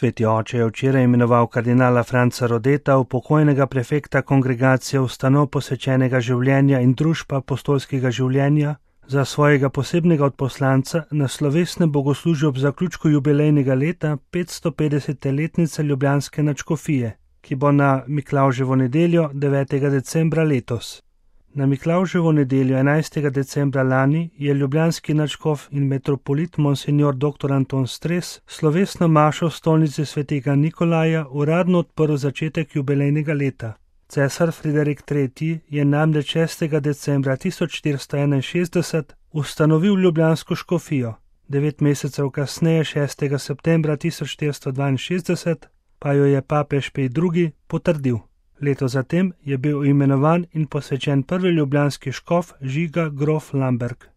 Sveti oče je včeraj imenoval kardinala Franca Rodeta, upokojnega prefekta kongregacije ustanov posvečenega življenja in družb apostolskega življenja, za svojega posebnega odposlanca na slovesnem bogoslužju ob zaključku jubilejnega leta 550. letnice ljubljanske nadškofije, ki bo na Miklavževo nedeljo 9. decembra letos. Na Miklavževo nedeljo 11. decembra lani je ljubljanski nadškof in metropolit monsignor dr. Anton Stres slovesno mašo v stolnici svetega Nikolaja uradno odprl začetek jubilejnega leta. Cesar Friderik III. Je namreč 6. decembra 1461 ustanovil ljubljansko škofijo, 9 mesecev kasneje, 6. septembra 1462, pa jo je papež Pij II. Potrdil. Leto zatem je bil imenovan in posvečen prvi ljubljanski škof Žiga grof Lamberg.